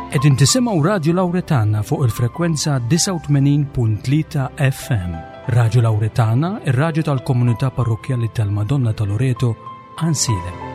Qegħdin tisimgħu Radju Lawretana fuq il-frekwenza 89.3 FM. Radju Lawretana, ir-radju tal-komunità parrokkjali tal-Madonna ta' Loreto, Għansielem.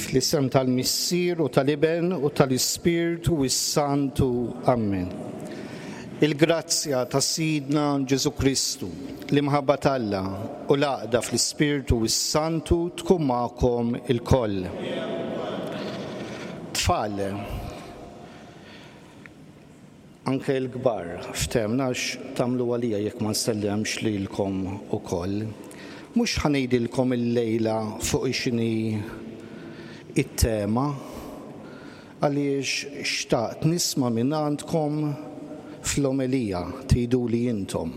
Fl-isem tal-Missier u tal-Iben u tal-Ispirtu s-Santu. Amen. Il-grazzja ta' Sidna Ġesù Kristu, l-imħabba t'Alla u l-għaqda fl-Ispirtu s-Santu tkun magħkom ilkoll. Tfal, anke l-kbar, ftehmna għax tagħmlu għalija jekk ma nsellemx lilkom ukoll. Mhux ħa ngħidilkom illejla fuq x'inhi t-tema, Għaliex xtaqt nisma' mingħandkom fl-omelija, tgħiduli intom.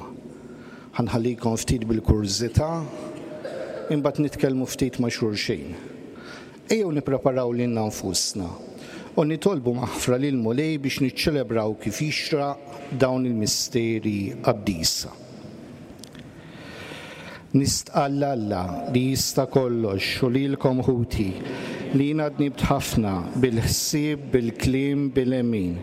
Ħa nħallikom ftit bil-kurżità, imbagħad nitkellmu ftit ma' xulxin. Ejjew nippreparaw lilna nfusna u nitolbu maħfra lill-Mulej biex niċċelebraw kif jixraq dawn il-misteri qaddisa. Nistqarr 'l Alla li jista' kollox u lilkom ħuti, li jiena dnibt ħafna bil-ħsieb, bil-kliem, bil-għemil,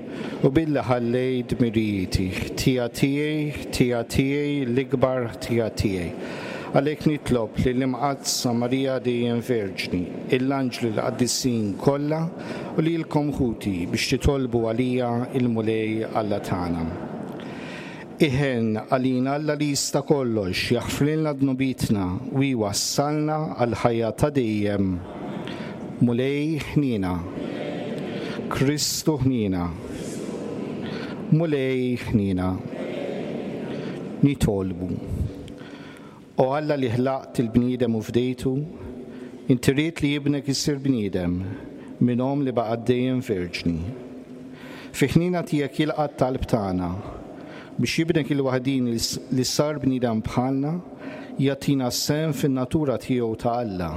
u billi ħallejt dmirijieti. Ħtija tiegħi, ħtija tiegħi, l-ikbar ħtija tiegħi. Għalhekk nitlob lill-Imqaddsa Marija dejjem Verġni, il-anġli l-qaddisin kollha, u lilkom ħuti biex titolbu għalija il-Mulej Alla tagħna. Iħenn għalina Alla li jista' kollox, jaħfrilna dnubietna u jwassalna għall-ħajja ta' dejjem. Mulej ħniena. Kristu ħniena. Mulej ħniena. Nitolbu. O Alla li ħlaqt il-bniedem u fdejtu, inti ridt li Ibnek isir bniedem minn omm li baqgħet dejjem verġni. Fi ħniena tiegħek jilqa' t-talb tagħna. biex Ibnek il-waħdini li sar bniedem bħalna jagħtina sehem fin-natura tiegħu ta' Alla,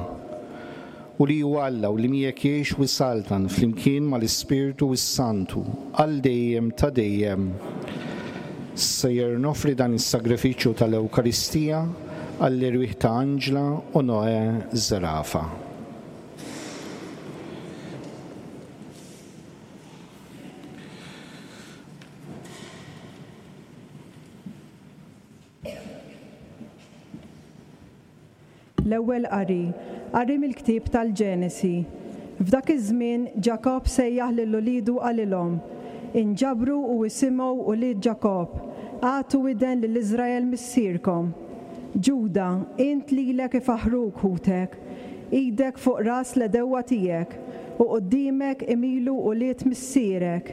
u li hu Alla u li miegħek jgħix u jsaltan flimkien mal-Ispirtu s-Santu għal dejjem ta' dejjem. Sejjer noffri dan is-sagrifiċċju tal-Ewkaristija għall-erwieħ ta' Anġla u Noè Zerafa. L-Ewwel Qari, Qari mill-ktieb tal-Ġenesi. F'dak iż-żmien Ġakobb sejjaħ lil uliedu u qalilhom, Inġabru u isimgħu ulied Ġakobb, agħtu widen lil Iżrael missierkom. Ġuda, int lilek ifaħħruk ħutek, idek fuq ras l-għedewwa tiegħek, u quddiemek imilu ulied missierek.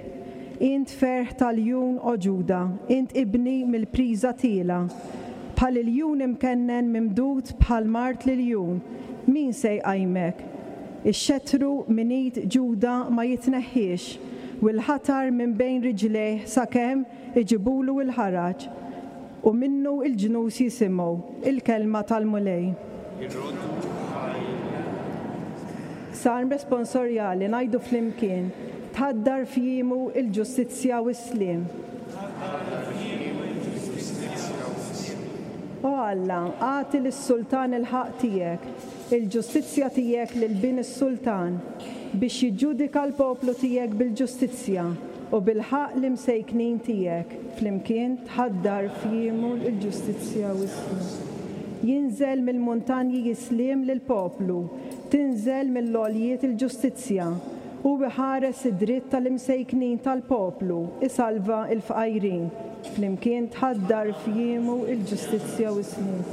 Int ferħ ta' ljun, O Ġuda, int ibni mill-priża tiela'. Bħal iljun imkennen mimdud bħal mard l-iljun, min se jqajmek? Ix-xettru minn id Ġuda ma jitneħħiex, u l-ħatar minn bejn riġlejh sakemm iġibulu l-ħaraġ, u minnu l-ġnus jisimgħu l-kelma tal-Mulej. Salm responsorjali ngħidu flimkien, Tħaddar f'jiemu l-ġustizzja u s-sliem. O Alla, agħti lis-sultan il-ħaqq tiegħek, il-ġustizzja tiegħek lil bin is-sultan, biex jiġġudika l-poplu tiegħek bil-ġustizzja, u bil-ħaqq l-imsejknin tiegħek, flimkien tħaddar f'jiemu l-ġustizzja u s-sliem. Jinżel mill-muntanji s-sliem lill-poplu, Tinżel mill-għoljiet il-ġustizzja. Hu iħares id-dritt tal-imsejknin tal-poplu, isalva l-fqajrin. Flimkien tħaddar f'jiemu l-ġustizzja u s-sliem.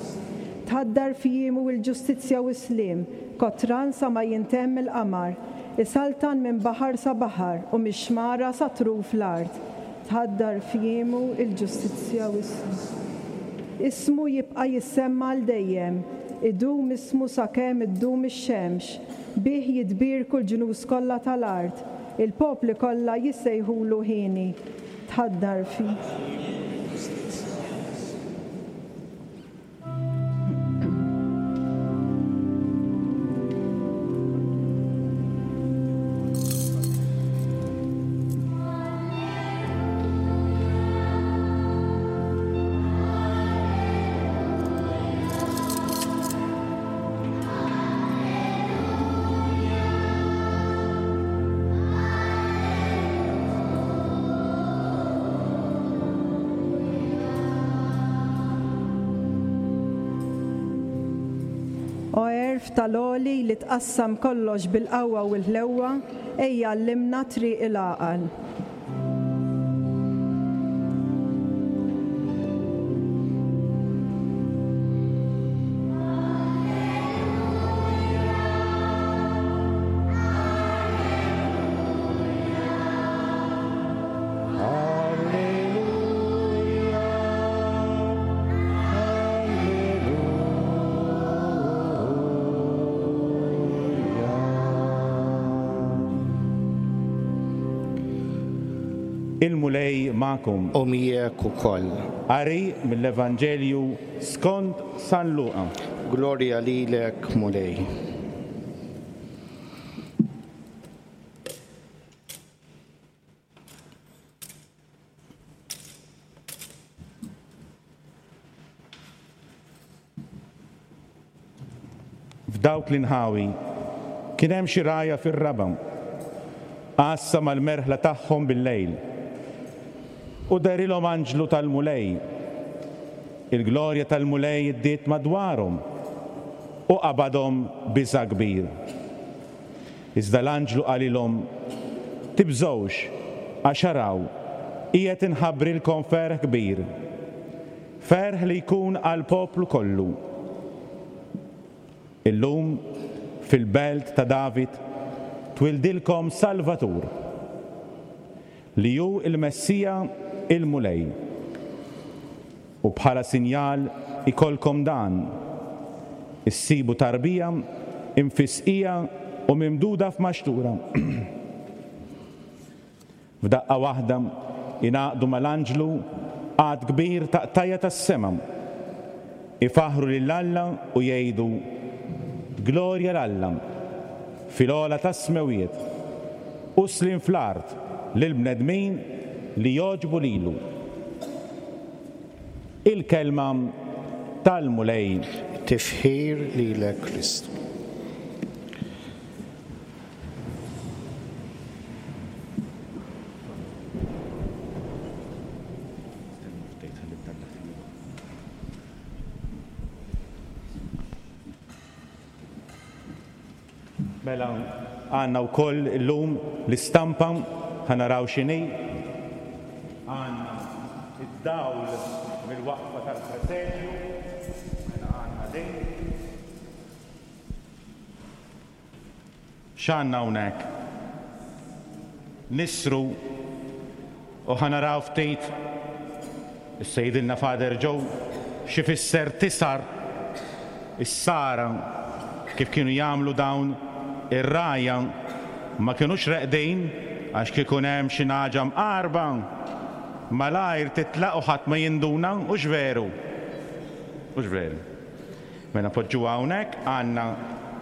Tħaddar f'jiemu l-ġustizzja u s-sliem, kotran sa ma jintemm il-qamar. Isaltan minn baħar sa baħar u mix-xmara sa truf l-art. Tħaddar f'jiemu l-ġustizzja u s-sliem. Ismu jibqa' jissemma għal dejjem. Idum ismu sakemm iddum ix-xemx. Bih jitbierku l-ġnus kollha tal-art, il-popli kollha jissejħulu hieni. Tħaddar fi. O għerf tal-Għoli li tqassam kollox bil-qawwa u l-ħlewwa, ejja għallimna triq il-għaqal. Il-Mulej magħkom. U miegħek ukoll. Qari mill-Evanġelju skont San Luqa. Glorja lilek, Mulej. F'dawk l-inħawi kien hemm xi rgħajja fir-raba', għassa mal-merħla tagħhom bil-lejl. U dehrilhom anġlu tal-Mulej. Il-glorja tal-Mulej iddiet madwarhom u qabadhom biża' kbir. Iżda l-anġlu qalilhom, Tibżgħux, għax araw, qiegħed inħabbrilkom ferħ kbir, ferħ li jkun għall-poplu kollu. Illum, fil-belt ta' David, twildilkom Salvatur, li hu l-Messija, il-Mulej. U bħala sinjal ikollkom dan, issibu tarbija imfisqija u mimduda f'maxtura. F'daqqa waħda ingħaqdu mal-anġlu għadd kbir ta' qtajja' tas-sema, ifaħħru lil Alla u jgħidu, Glorja 'l Alla fil-ogħla tas-smewwiet, u sliem fl-art lill-bnedmin li jogħġbu lilu. Il-Kelma tal-Mulej. Tifħir lilek Kristu. Mela għandna wkoll illum l-istampa, ħa naraw x'inhi. Għandna id-dawl mill-waqfa tal-presepju, mela għandna din. X'għandna hawnhekk? Nisru u ħa naraw ftit, issa jgħidilna Father Joe, x'ifisser tisar, is-sara, kif kienu jagħmlu dawn ir-rgħajja, ma kinux reqdin għax kieku hemm xi nagħġa mqarba, malajr titlaq u ħadd ma jinduna, hux veru? Hux veru? Mela npoġġuha hawnhekk, għandna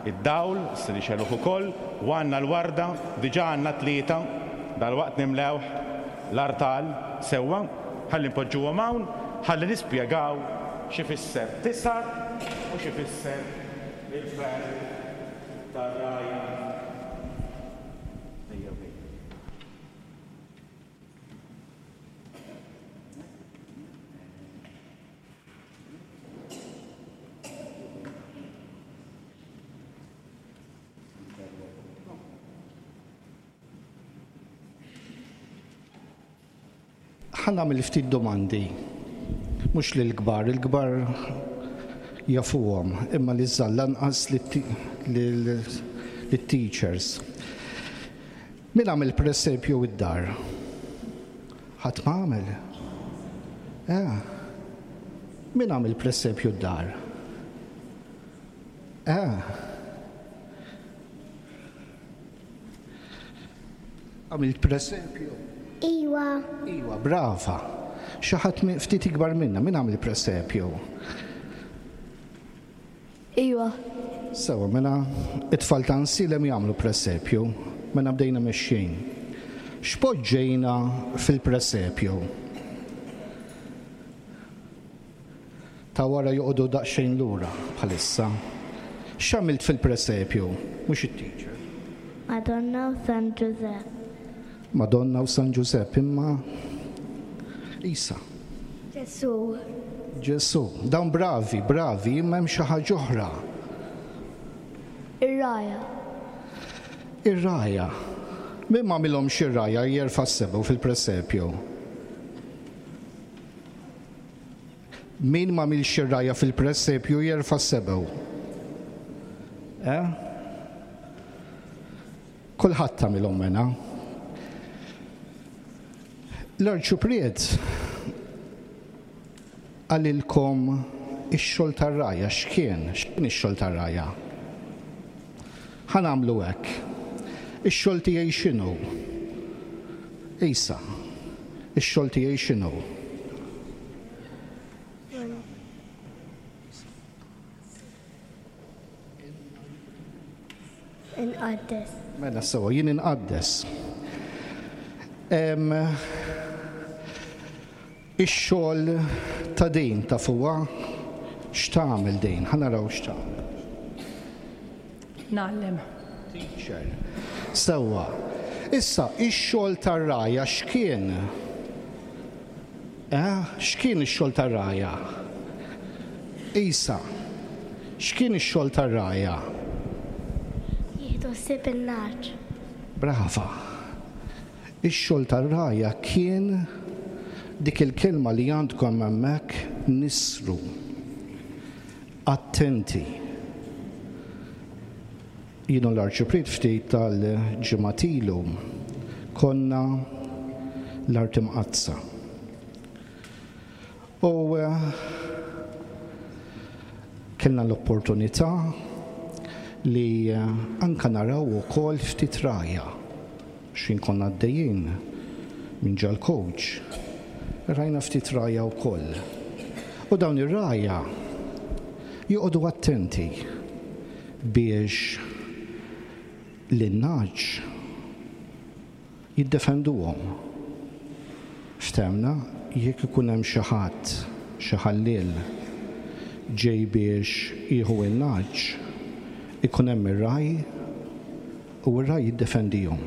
d-dawl, se nixegħluh ukoll, u għandna l-warda, diġà għandna tlieta, dalwaqt nimlewh l-artal sewwa, ħalli npoġġuhom hawn, ħalli nispjegaw x'ifisser tisgħar u x'ifisser il-ferħ tar-rgħajja. Ejjew ħejja. Ħa nagħmel ftit domandi. Mhux lill-kbar, il-kbar jafuhom, imma liż-żgħar lanqas lit-teachers. Min għamel presepju id-dar? Ħadd ma għamel? Eh. Min għamel presepju d-dar? Eh. Għamilt presepju? Iwa. Iwa, brava. Xi ħadd ftit ikbar minna, min għamel presepju? Iwa. Sewwa, mela it-tfal ta' Nsielem jagħmlu presepju, mela bdejna mexjin. X'poġġejna fil-presepju? Ta' wara joqogħdu daqsxejn lura bħalissa. X'għamilt fil-presepju? Mhux it-teacher. Madonna u San Ġużepp. Madonna u San Ġużepp imma Isa. Ġesù. Ġesù. Dawn bravi, bravi, imma hemm xi ħaġa oħra. Ir-rgħajja. Ir-rgħajja. Min m'għamilhomx ir-rgħajja jerfa' sebgħu fil-presepju. Min m'għamilx ir-rgħajja fil-presepju jerfa' sebgħu. Eh? Kulħadd għamilhom mela. L-Arċupriet qalilkom ix-xogħol tar-rgħajja x'kien? X'kien ix-xogħol tar-rgħajja? Ħa nagħmlu hekk. Ix-xogħol tiegħi x'inhu? Isa, ix-xogħol tiegħi x'inhu? Inqaddes. Mela sewwa, jien inqaddes. Ix-xogħol ta' din tafuha? X'tagħmel din? Ħa naraw x'tagħmel. Ngħallem. Teacher. Sewwa. Issa, ix-xogħol tar-rgħajja x'kien? Eh? X'kien ix-xogħol tar-rgħajja? Isa, x'kien ix-xogħol tar-rgħajja? Jieħdu ħsieb in-nagħaġ. Brava. Ix-xogħol tar-rgħajja kien dik il-kelma li għandkom hemmhekk nisru. Attenti. Jien u l-Arċipriet ftit tal-ġimgħat ilu konna l-Art Imqaddsa. U kellna l-opportunità li anka naraw ukoll ftit rgħajja. X'ħin konna għaddejjin minn ġol-coach. Rajna ftit rgħajja wkoll. U dawn ir-rgħajja joqogħdu attenti biex lin-nagħaġ jiddefenduhom. Ftehmna, jekk ikun hemm xi ħadd, xi ħalliel, ġej biex jieħu n-nagħaġ, ikun hemm ir-ragħaj u r-ragħaj jiddefendihom,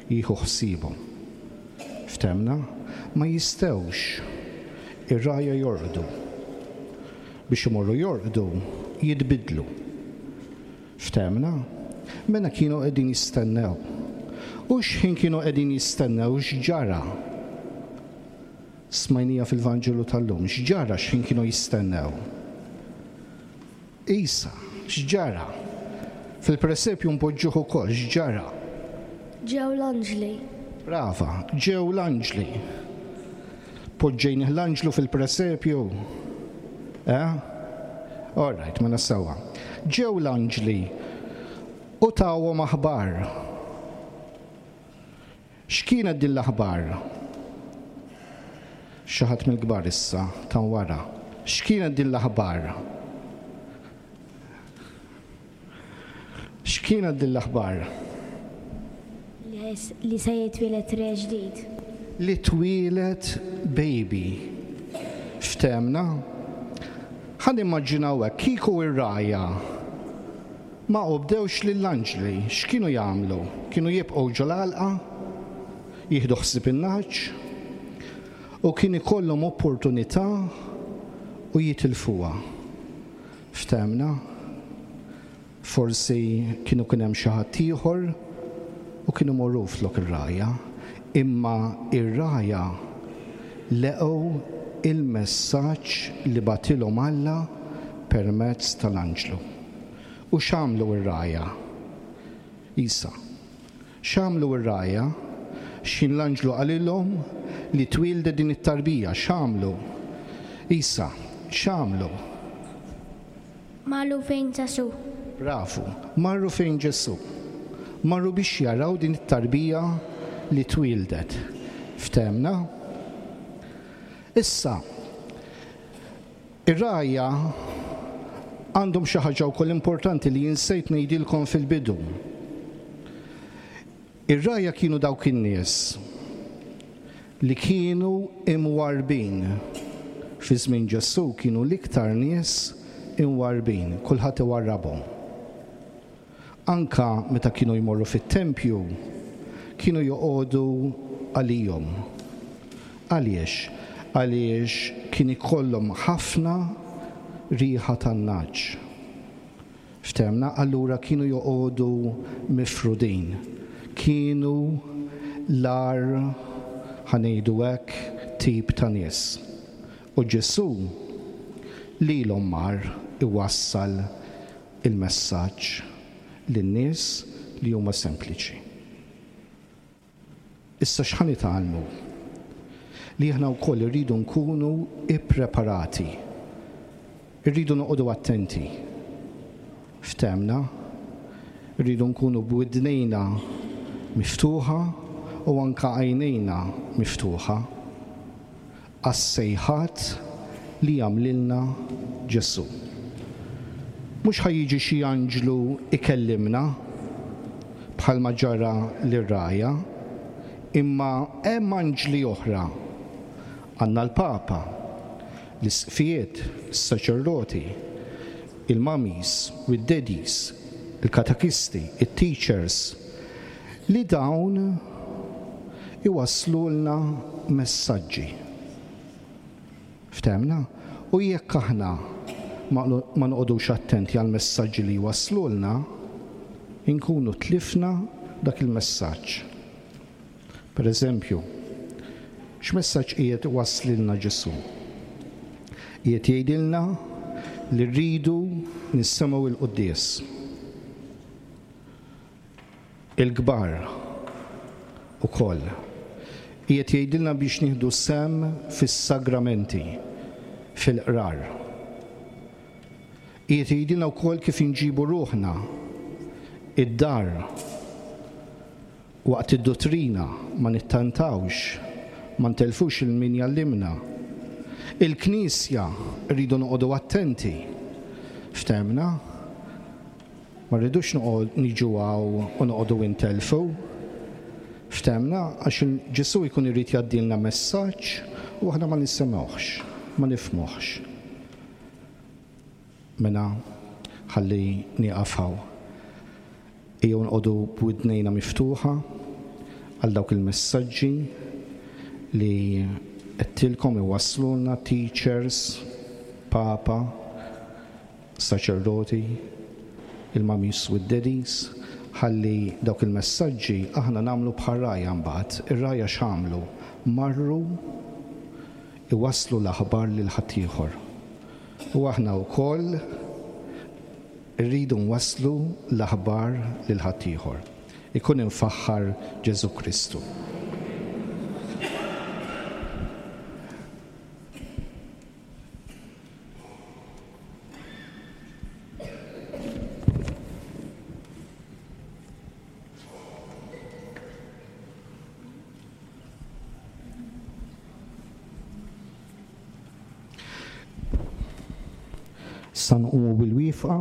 jieħu ħsiebhom. Ftehmna? Ma jistgħux ir-rgħajja jorqdu. Biex imorru jorqdu, jitbiddlu. Ftehmna? Mela kienu qegħdin jistennew. U x'ħin kienu qegħdin jistennew x'ġara? Smajnija fil-Vanġelu tal-lum, x'ġara x'ħin kienu jistennew? Isa, x'ġara? Fil-presepju npoġġuh ukoll, x'ġara? Ġew l-anġli. Brava, ġew l-anġli. Poġġejnih l-anġlu fil-presepju? Eh? All right, mela sewwa. Ġew l-anġli u tawhom aħbar. X'kienet din l-aħbar? Xi ħadd mill-kbar issa, ta' wara. X'kienet din l-aħbar? X'kienet din l-aħbar? Li se jitwieled re ġdid. Li twieled baby. Ftehmna? Ħa nimmaġinaw hekk, kieku r-rgħajja ma obdewx lill-anġli, x'kienu jagħmlu? Kienu jibqgħu ġol-għalqa, jieħdu ħsieb in-nagħaġ, u kien ikollhom opportunità u jitilfuha. Ftehmna? Forsi kienu kien hemm xi ħadd ieħor u kien imorru flok ir-rgħajja, imma r-rgħajja leqgħu il-messaġġ li bagħtilhom Alla permezz tal-anġlu. U x'għamlu r-rgħajja? Isa. X'għamlu r-rgħajja? X'ħin l-anġlu qalilhom li twieldet din it-tarbija, x'għamlu? Isa, x'għamlu? Marru fejn Ġesù. Bravu, marru fejn Ġesù. Marru biex jaraw din it-tarbija li twieldet. Ftehmna? Issa, ir-rgħajja għandhom xi ħaġa wkoll importanti li insejt ngħidilkom fil-bidu. Ir-rgħajja kienu dawk in-nies li kienu imwarrbin. Fi żmien Ġesù kienu l-iktar nies imwarrbin, kulħadd iwarrabhom. Anka meta kienu jmorru fit-tempju, kienu joqogħdu għalihom. Għaliex? Għaliex kien ikollhom ħafna riħa tan-nagħaġ. Ftehmna? Allura kienu joqogħdu mifrudin. Kienu l-agħar, ħa ngħidu hekk, tip ta' nies. U Ġesù lilhom mar iwassal il-messaġġ lin-nies li huma sempliċi. Issa x'ħa nitgħallmu? Li aħna wkoll irridu nkunu ippreparati. Irridu noqogħdu attenti. Ftehmna? Irridu nkunu b'widnejna miftuħa u anke għajnejna miftuħa għas-sejħat li jagħmlilna Ġesù. Mhux ħa jiġi xi anġlu jkellimna bħalma ġara lir-rgħajja, imma hemm anġli oħra. Għandna l-Papa, l-isqfijiet, is-saċerdoti, il-mummies u d-daddies, il-katekisti, it-teachers, li dawn iwasslulna messaġġi. Ftehmna? U jekk aħna ma noqogħdux attenti għall-messaġġi li jwasslulna, inkunu tlifna dak il-messaġġ. Per eżempju, x'messaġġ qiegħed iwasslilna Ġesù? Qiegħed jgħidilna li rridu nisimgħu l-quddies. Il-kbar ukoll. Qiegħed jgħidilna biex nieħdu sehem fis-sagramenti, fil-qrar. Qiegħed jgħidilna wkoll kif inġibu ruħna id-dar waqt id-duttrina ma nittantawx, Ma ntellfux 'il min jgħallimna. Il-Knisja rridu noqogħdu attenti. Ftehmna? Ma rridux noqgħod niġu hawn u noqogħdu intellfu. Ftehmna? Għax Ġesù jkun irid jgħaddilna messaġġ u aħna ma nisimgħuhx, ma nifhmuhx. Mela ħalli nieqaf hawn. Ejjew noqogħdu b'widnejna miftuħa għal dawk il-messaġġi li għedtilkom iwasslulna teachers, papa, saċerdoti, il-mummies u d-daddies, ħalli dawk il-messaġġi aħna nagħmlu bħar-rgħajja mbagħad. Ir-rgħajja x'għamlu? Marru iwasslu l-aħbar lil ħaddieħor. U aħna wkoll irridu nwasslu l-aħbar lil ħaddieħor. Ikun imfaħħar Ġesù Kristu. Issa nqumu bil-wieqfa.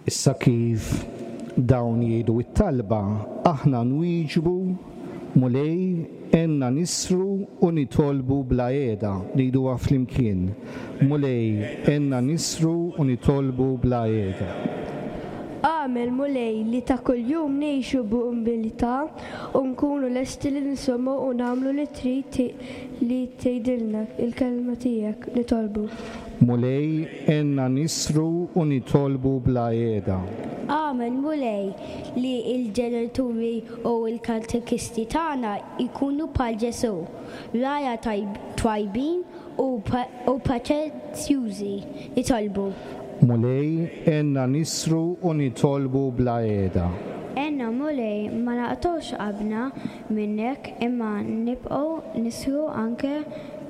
Issa kif dawn jgħidu t-talba, aħna nwieġbu, Mulej, għenna nisru u nitolbu bla qiegħda. Ngħiduha flimkien, Mulej, għenna nisru u nitolbu bla qiegħda. Agħmel, Mulej, li ta' kuljum ngħixu b'umiltà u nkunu lesti li nisimgħu u nagħmlu li trid li tgħidilna l-kelma tiegħek. Nitolbu. Mulej, għenna nisru u nitolbu bla qiegħda. Agħmel, Mulej, li l-ġenituri u l-katekisti tagħna jkunu bħal Ġesù, rgħajja twajbin u paċenzjużi. Nitolbu. Mulej, għenna nisru u nitolbu bla qiegħda. Għenna, Mulej, ma naqtgħux qalbna minnek imma nibqgħu nisru anke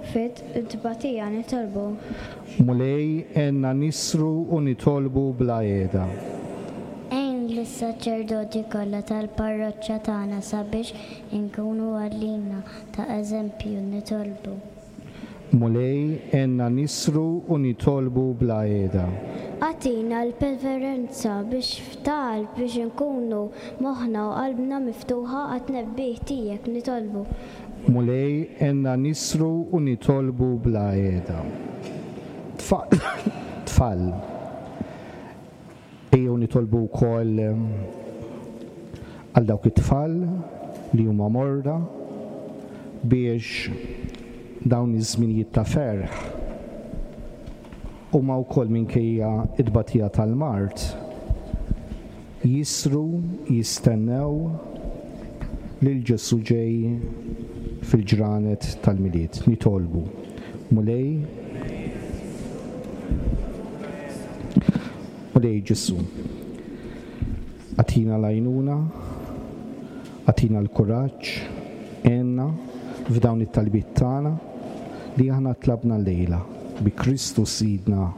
fit-tbatija. Nitolbu. Mulej, għenna nisru u nitolbu bla qiegħda. Għin lis-saċerdoti kollha tal-parroċċa tagħna sabiex inkunu għalina ta' eżempju. Nitolbu. Mulej, għenna nisru u nitolbu bla qiegħda. Agħtina l-perseveranza biex f'talb biex inkunu moħħna u qalbna miftuħa għat-tnebbiħ tiegħek. Nitolbu. Mulej, għenna nisru u nitolbu bla qiegħda. Tfal, ejjew nitolbu wkoll għal dawk it-tfal li huma morda biex dawn iż-żminijiet ta' ferħ huma wkoll minkejja t-tbatija tal-mard jisru jistennew lil Ġesù ġej fil-ġranet tal-Milied. Nitolbu, Mulej, Mulej Ġesù, agħtina l-għajnuna, agħtina l-kuraġġ, għenna f'dawn it-talbiet tagħna li aħna tlabna llejla bi Kristu Sidna.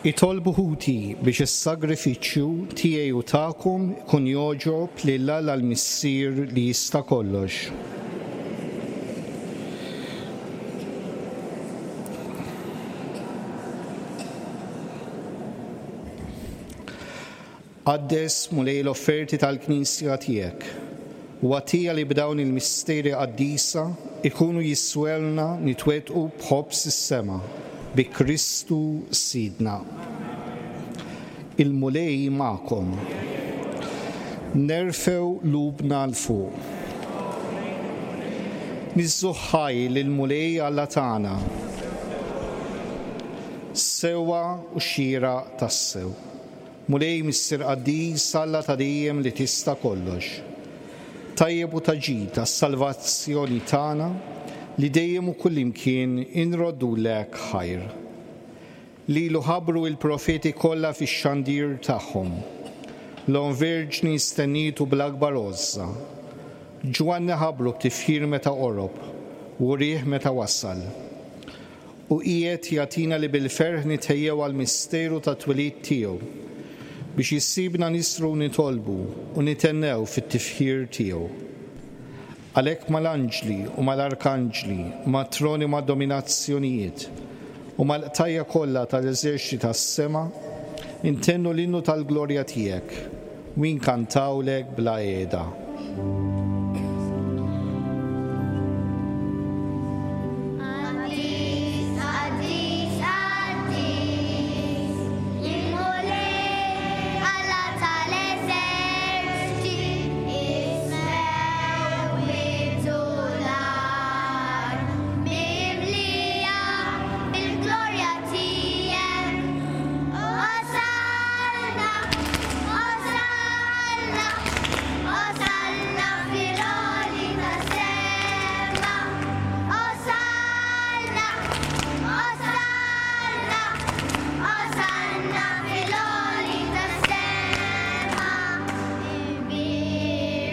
Itolbu ħuti biex is-sagrifiċċju tiegħi u tagħkom ikun jogħġob lil Alla l-Missier li jista' kollox. Qaddes, Mulej, l-offerti tal-Knisja tiegħek, u agħtiha li b'dawn il-misteri qaddisa jkunu jiswelna nitwettqu b'ħobż is-sema, bi Kristu Sidna. Il-Mulej magħkom. Nerfgħu qlubna 'l fuq. Niżżuh ħaj lill-Mulej Alla tagħna. Sewwa u xieraq tassew. Mulej Missier Qaddis, Alla ta' dejjem li tista' kollox. Tajjeb u ta' ġid għas-salvazzjoni tagħna li dejjem u kullimkien inroddulek ħajr. Lilu ħabbru il-profeti kollha fix-xandir tagħhom. L-Omm Verġni stennietu bl-akbar għożża. Ġwanni ħabbru b'tifħir meta qorob, u wrieh meta wasal. U qiegħed jagħtina li bil-ferħ nitħejjew għall-misteru tat-twelid tiegħu, biex issibna nisru u nitolbu u nithennew fit-tifħir tiegħu. Għalhekk mal-anġli u mal-arkanġli, mat-troni u mad-dominazzjonijiet, u mal-qtajja' kollha tal-eżerċti tas-sema, intennu l-innu tal-glorja tiegħek, u inkantawlek bla qiegħda. Qaddis, qaddis, qaddis, il-Mulej Alla tal-eżerċti, is-smewwiet u l-art mimlija bil-glorja tiegħek. Osanna, osanna, osanna fil-għoli tas-sema. Osanna, osanna, osanna fil-għoli tas-sema. Imbierek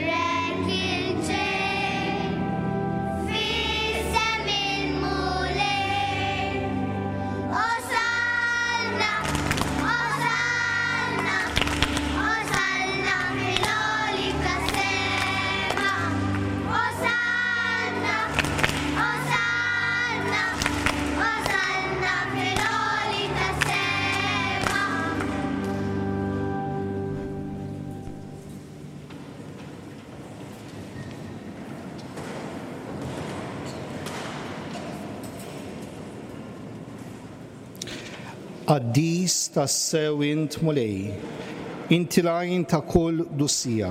il-ġej f'isem il-Mulej. Osanna, osanna, osanna fil-għoli tas-sema. Osanna, osanna, osanna fil-għoli tas-sema. Qaddis tassew int Mulej, inti l-għajn ta' kull qdusija.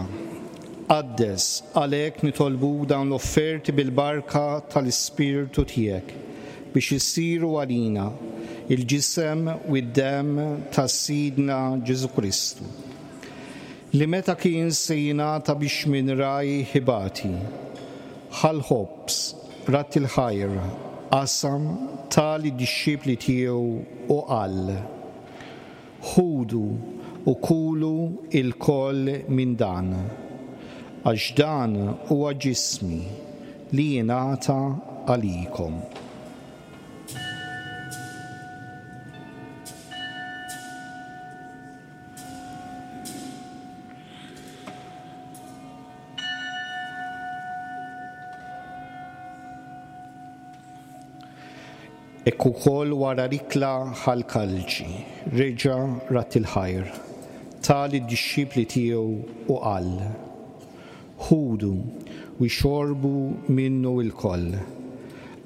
Qaddes, għalhekk nitolbuk dawn l-offerti bil-barka tal-Ispirtu tiegħek, biex isiru għalina il-ġisem u d-demm ta' Sidna Ġesù Kristu, li meta kien se jingħata biex minn rajh ibati, ħa l-ħobż, Radd il-ħajr, qasam, ta lid-dixxipli tiegħu u qal, Ħudu u kulu ilkoll minn dan, għax dan huwa ġismi li jingħata għalikom. Hekk ukoll wara l-ikla ħa l-kalċi, reġa' radd il-ħajr, ta lid-dixxipli tiegħu u qal, Ħudu u xorbu minnu lkoll,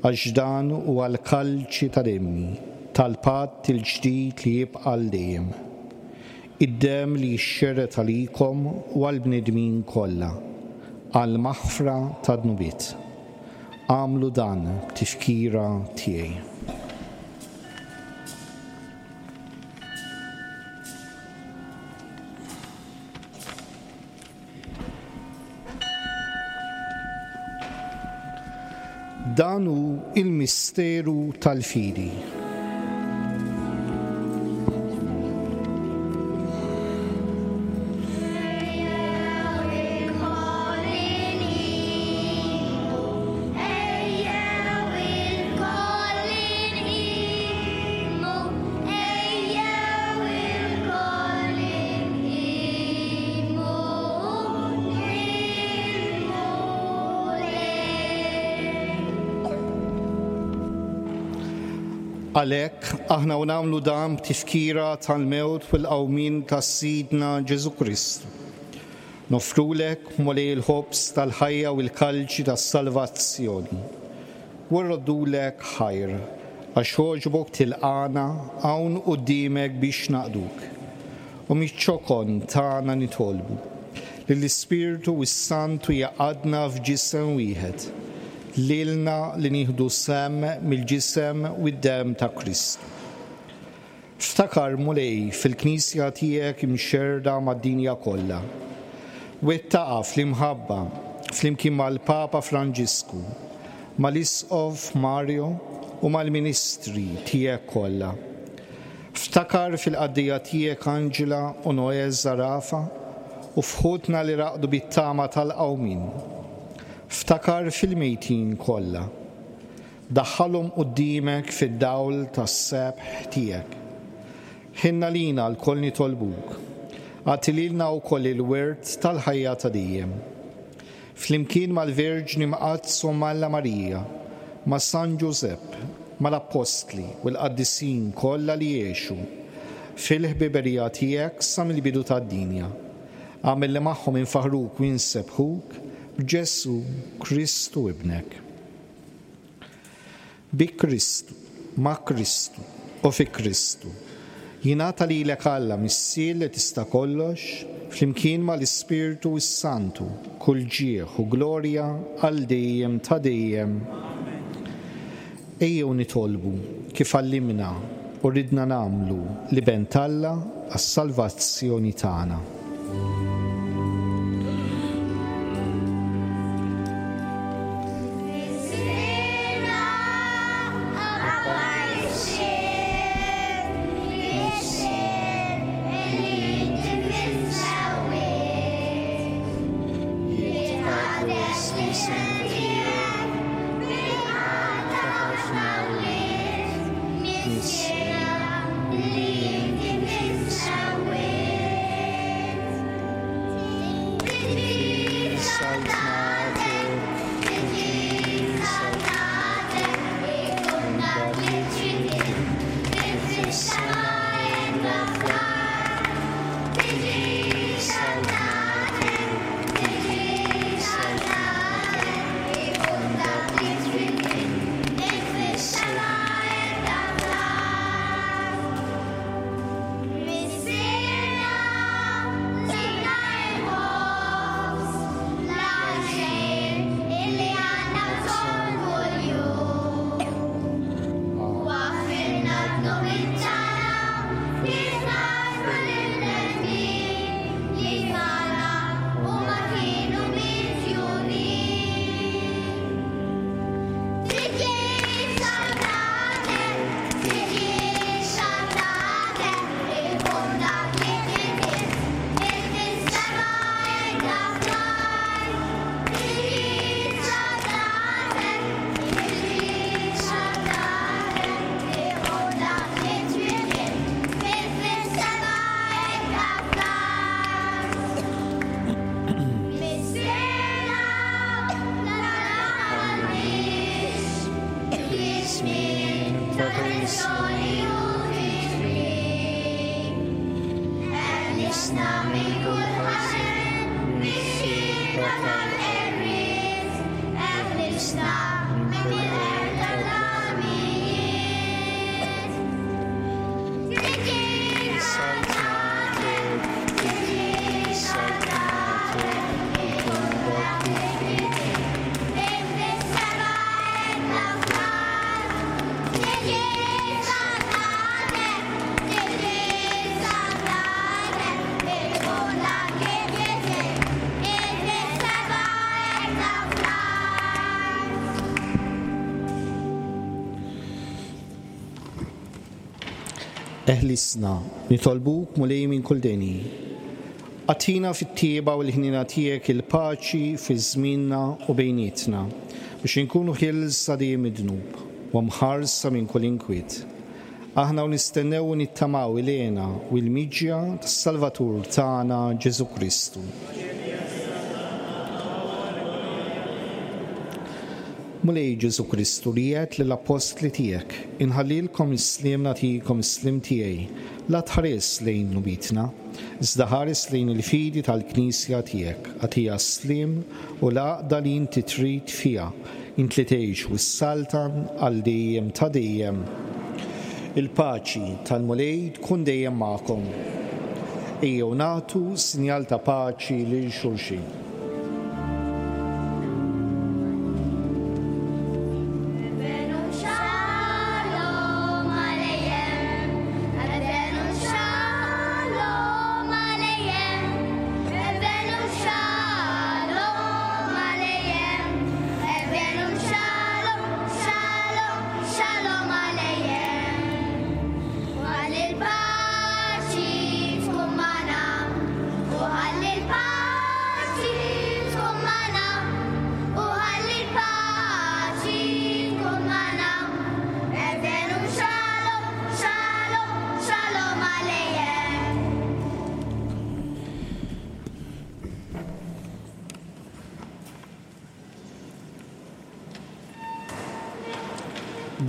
għax dan huwa l-kalċi ta' demmi, tal-patt il-ġdid li jibqa' għal dejjem. Id-demm li jixxerred għalikom u għall-bnedmin kollha, għall-maħfra tad-dnubiet. Agħmlu dan b'tifkira tiegħi. Dan hu il-misteru tal-fidi. Għalhekk, aħna u nagħmlu dan b'tifkira tal-mewt u l-qawmien ta' Sidna Ġesù Kristu. Noffrulek, Mulej, il-ħobż tal-ħajja u l-kalċi tas-salvazzjoni. U rroddulek ħajr, għax għoġbok tilqagħna hawn quddiemek biex naqduk. U miċ-ċokon tagħna nitolbu, li l-Ispirtu s-Santu jgħaqqadna f'ġisem wieħed, lilna li nieħdu sehem mill-ġisem u d-demm ta' Kristu. Ftakar, Mulej, fil-Knisja tiegħek imxerrda mad-dinja kollha. Wettaqha fl-imħabba, flimkien mal-Papa Franġisku, mal-Isqof Mario u mal-ministri tiegħek kollha. Ftakar fil-qaddejja tiegħek Angela u Noè Zarafa u f'ħutna li raqdu bit-tama tal-qawmien. Ftakar fil-mejtin kollha. Daħħalhom quddiemek fid-dawl tas-sebħ tiegħek. Ħinn għalina lkoll nitolbuk. Agħti lilna wkoll il-wirt tal-ħajja ta' dejjem. Flimkien mal-Verġni Mqaddsa Omm Alla Marija, ma' San Ġużepp, mal-Appostli u l-qaddisin kollha li għexu fil-ħbiberija tiegħek sa mill-bidu tad-dinja, agħmel li magħhom infaħħruk u nsebbħuk b'Ġesù Kristu Ibnek. Bi Kristu, ma' Kristu, u fi Kristu, jingħata lilek Alla Missier li tista' kollox, flimkien ma' l-Ispirtu s-Santu, kull ġieħ u glorja għal dejjem ta' dejjem. Ejjew nitolbu, kif għallimna u ridna nagħmlu l-Iben t'Alla għas-salvazzjoni tagħna. Eħlisna, nitolbuk Mulej minn kull deni. Agħtina fit-tjieba u l-ħniena tiegħek il-paċi fi żmienna u bejnietna, biex inkunu ħielsa dejjem mid-dnub u mħarsa minn kull inkwiet. Aħna u nistennew u nittamaw il-hena u l-miġja tas-Salvatur tagħna Ġesù Kristu. Mulej Ġesù Kristu li għedt lill-appostli tiegħek, Inħallilkom is-sliem nagħtikom is-sliem tiegħi, la tħares lejn dnubietna, iżda ħares lejn il-fidi tal-Knisja tiegħek, agħtiha s-sliem u l-għaqda li inti trid fiha, int li tgħix u ssaltan għal dejjem ta' dejjem. Il-paċi tal-Mulej tkun dejjem magħkom. Ejjew nagħtu sinjal ta' paċi lil xulxin.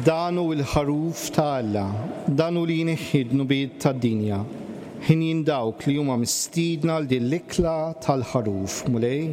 Dan hu l-Ħaruf ta' Alla, dan hu li jneħħi d-dnubiet tad-dinja. Ħinjin dawk li huma mistiedna għal din l-ikla tal-Ħaruf, Mulej.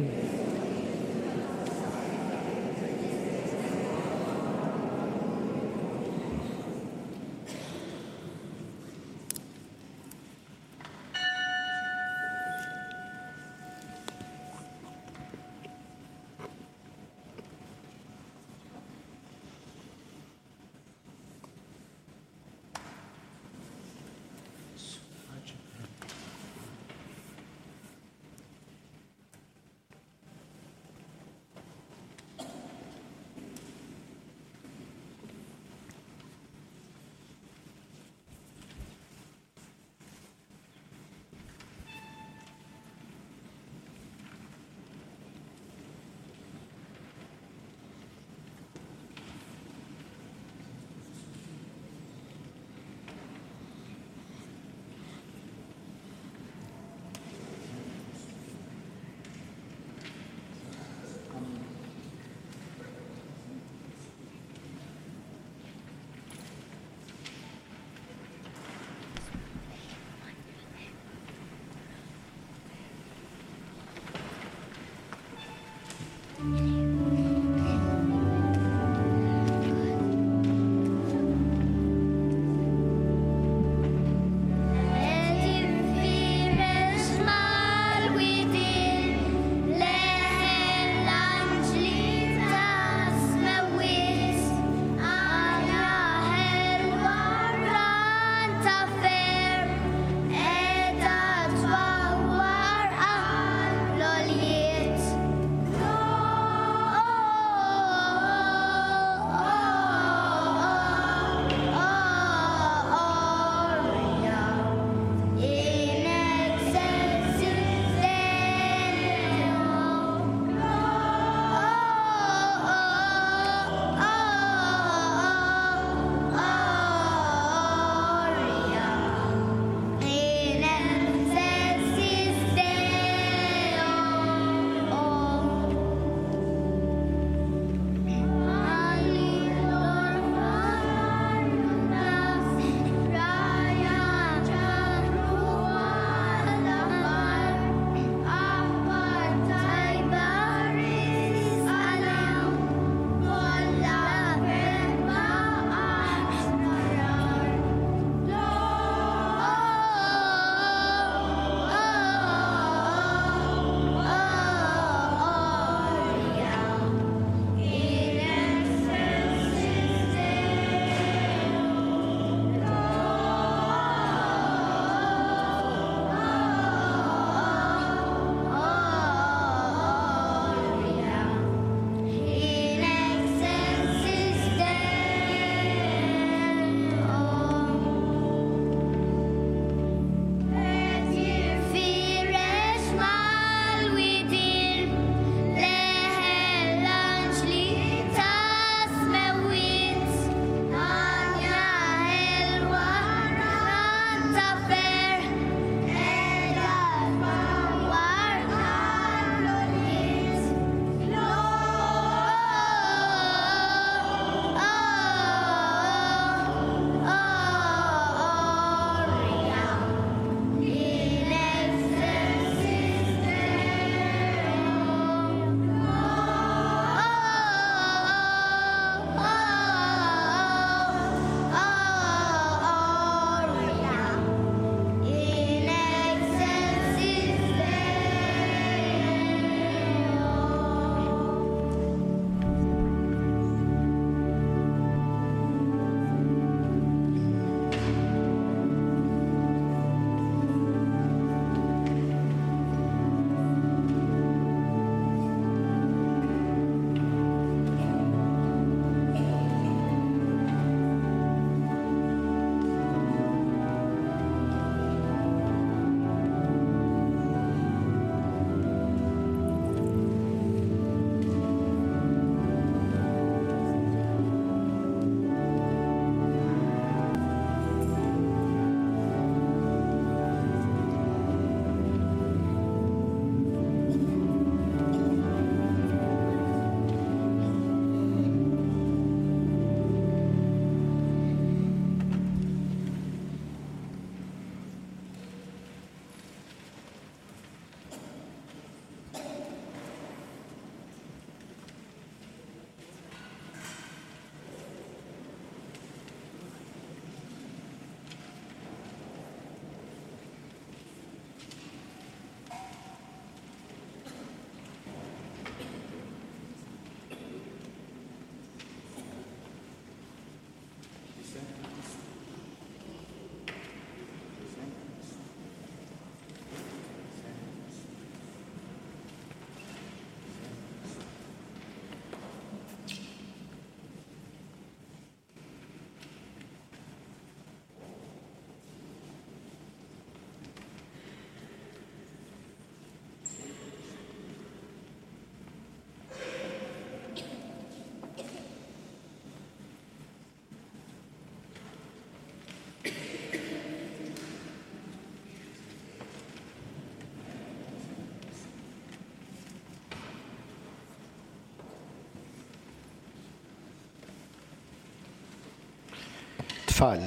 Tfal,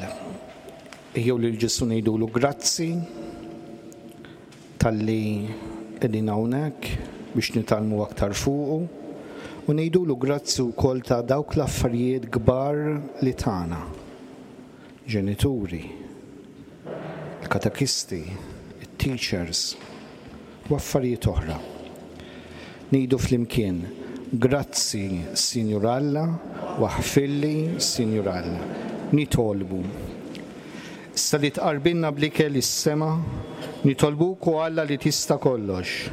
ejjew lil Ġesù ngħidulu grazzi talli qegħdin hawnhekk biex nitgħallmu aktar fuqu u ngħidulu grazzi wkoll ta' dawk l-affarijiet kbar li tana. Ġenituri, il-katekisti, it-teachers u affarijiet oħra. Ngħidu flimkien, Grazzi, Sinjur Alla, u aħfirli, Sinjur Alla. Nitolbu. Issa li tqarbilna bl-ikel is-sema, nitolbuk o Alla li tista' kollox,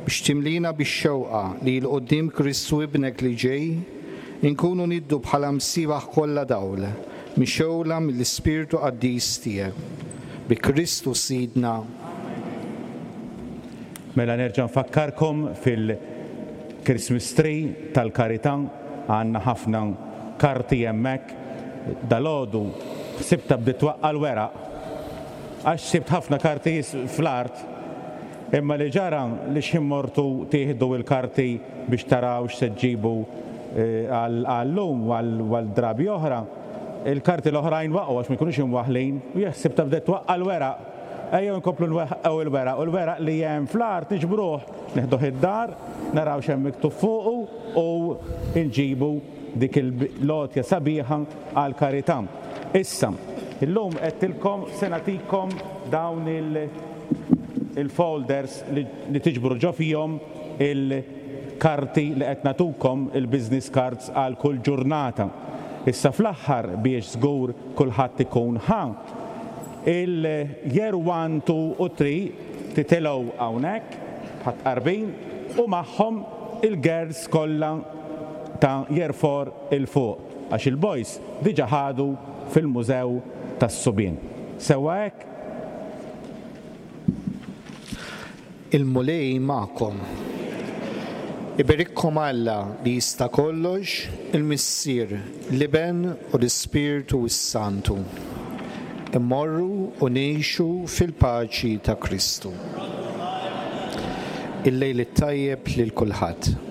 biex timlina bix-xewqa li 'l quddiem Kristu Ibnek li ġej, inkunu niddu bħala msiebaħ kollha dawl, mixgħula mill-Ispirtu qaddis tiegħek. Bi Kristu Sidna. Mela nerġa' nfakkarkom fil-Christmas Tree tal-Karità, għandna ħafna karti hemmhekk. Dalgħodu ħsibtha bdiet twaqqa' l-weraq għax sibt ħafna karti fl-art. Imma li ġara li x'ħin mortu tieħdu l-karti biex taraw x'se ġġibu għal-lum u għal drabi oħra, il-karti l-oħrajn waqgħu għax ma jkunux imwaħħlin u jekk ħsibtha bdiet twaqqa' l-weraq. Ejjew inkomplu nweħħqu il-weraq u l-weraq li hemm fl-art niġbruh, nieħduh id-dar, naraw x'hemm miktub fuqu u nġibu dik il-għotja sabiħa għall-karità. Issa, illum għedtilkom se nagħtikom dawn il-folders li tiġbru ġo fihom il-karti li qed nagħtukom, il-business cards għal kull ġurnata. Issa fl-aħħar biex żgur kulħadd ikun ħa, Il-Year One, Two u Three titilgħu hawnhekk bħat-tqarbin u magħhom il-girls kollha ta' Year Four 'il fuq għax il-boys diġa ħadu fil-mużew tas-subien. Sewwa hekk? Il-Mulej magħkom. Iberikkom Alla li jista' kollox, il-Missier, l-Iben u l-Ispirtu s-Santu. Immorru u ngħixu fil-paċi ta' Kristu. Il-lejl it-tajjeb lil kulħadd.